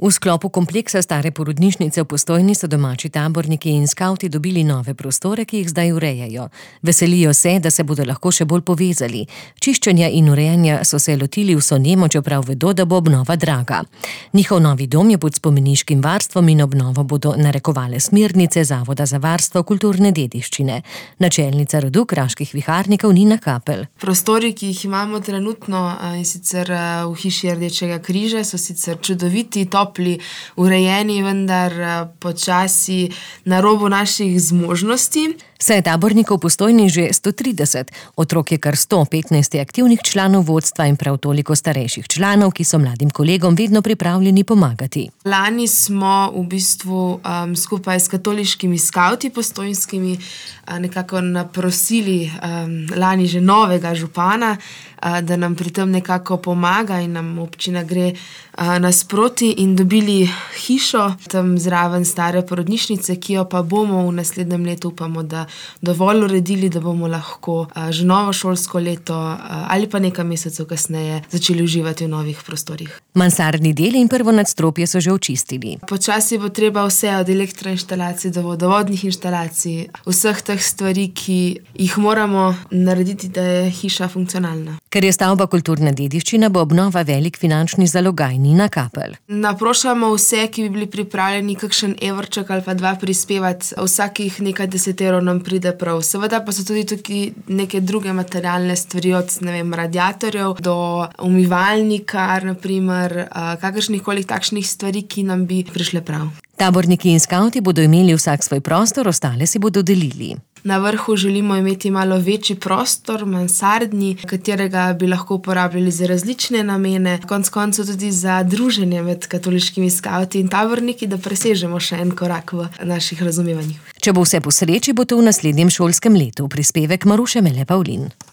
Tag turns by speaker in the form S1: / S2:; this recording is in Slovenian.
S1: V sklopu kompleksa stare porodnišnice v Postojni so domači taborniki in skavti dobili nove prostore, ki jih zdaj urejajo. Veselijo se, da se bodo lahko še bolj povezali. Čiščenja in urejanja so se lotili vso nemo, čeprav vedo, da bo obnova draga. Njihov novi dom je pod spomeniškim varstvom in obnovo bodo narekovale smernice Zavoda za varstvo kulturne dediščine. Načelnica rodu kraških viharnikov Nina Kapelj.
S2: Prostori, ki jih imamo trenutno, in sicer v hiši Rdečega križa, so sicer čudoviti, topli, urejeni, vendar počasi na robu naših zmožnosti.
S1: Saj je tabornikov v Postojni že 130, otrok je kar 115 aktivnih članov vodstva in prav toliko starejših članov, ki so mladim kolegom vedno pripravljeni pomagati.
S2: Lani smo v bistvu skupaj s katoliškimi skavti postojnskimi nekako naprosili lani že novega župana, da nam pri tem nekako pomaga in nam občina gre nasproti in dobili hišo tam zraven stare porodnišnice, ki jo pa bomo v naslednjem letu, upamo, da dovolj uredili, da bomo lahko že novo šolsko leto ali pa nekaj mesecev kasneje začeli uživati v novih prostorih.
S1: Mansardni del in prvo nadstropje so že očistili.
S2: Počasi bo treba vse od elektroinštalacij do vodovodnih inštalacij, vseh teh stvari, ki jih moramo narediti, da je hiša funkcionalna.
S1: Ker je stavba kulturna dediščina, bo obnova velik finančni zalogaj. Nina Kapelj.
S2: Naprošamo vse, ki bi bili pripravljeni kakšen evrček ali pa dva prispevati. Vsakih nekaj 10 evrov nam pride prav. Seveda pa so tudi tukaj neke druge materialne stvari, od radiatorjev do umivalnika, naprimer, kakršnihkoli takšnih stvari, ki nam bi prišle prav.
S1: Taborniki in skavti bodo imeli vsak svoj prostor, ostale si bodo delili.
S2: Na vrhu želimo imeti malo večji prostor, mansardni, katerega bi lahko uporabljali za različne namene, konec koncev tudi za druženje med katoliškimi skavti in taborniki, da presežemo še en korak v naših razumevanjih.
S1: Če bo vse po sreči, bo to v naslednjem šolskem letu. Prispevek Maruše Mele Pavlin.